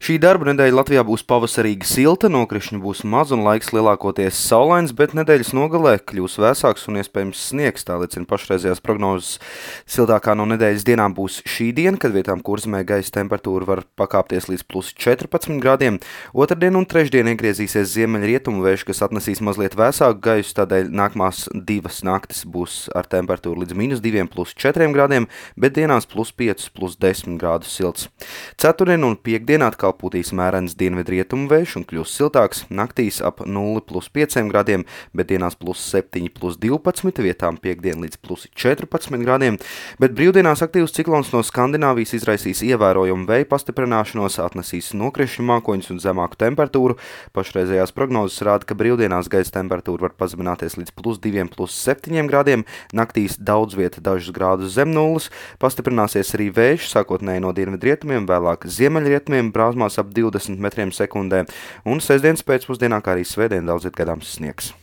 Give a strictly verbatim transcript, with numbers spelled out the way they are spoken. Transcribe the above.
Šī darba nedēļa Latvijā būs pavasarīgi silta, nokrišņu būs maz un laiks lielākoties saulains, bet nedēļas nogalē kļūs vēsāks un iespējams sniegs, tā liecina pašreizējās prognozes. Siltākā no nedēļas dienām būs šī diena, kad vietām Kurzemē gaisa temperatūra var pakāpties līdz plus četrpadsmit grādiem. Otrdien un trešdien iegriezīsies ziemeļrietumu vējš, kas atnesīs mazliet vēsāku gaisu, tādēļ nākamās divas naktis būs ar temperatūru līdz mīnus diviem, plus četriem grādiem, bet dienās plus piecus, plus desmit grādus silts. Ceturtdien un piekdienā atkal pūtīs mērens dienvidrietumu vējš un kļūs siltāks, naktīs ap nulli plus pieciem grādiem, bet dienās plus septiņi, plus divpadsmit, vietām piekdien līdz plus četrpadsmit grādiem, bet brīvdienās aktīvs ciklons no Skandināvijas izraisīs ievērojumu vēja pastiprināšanos, atnesīs nokrišņu mākoņus un zemāku temperatūru. Pašreizējās prognozes rāda, ka brīvdienās gaisa temperatūra var pazemināties līdz plus diviem, plus septiņiem grādiem, naktīs daudz vieta dažus grādus zem nulles, pastiprināsies arī vējš, sākotnēji no dienvidrietumiem, vēlāk ziemeļrietumiem, brāzmās ap divdesmit metriem sekundē, un sestdienas pēcpusdienā, kā arī svētdien daudz viet gaidāms sniegs.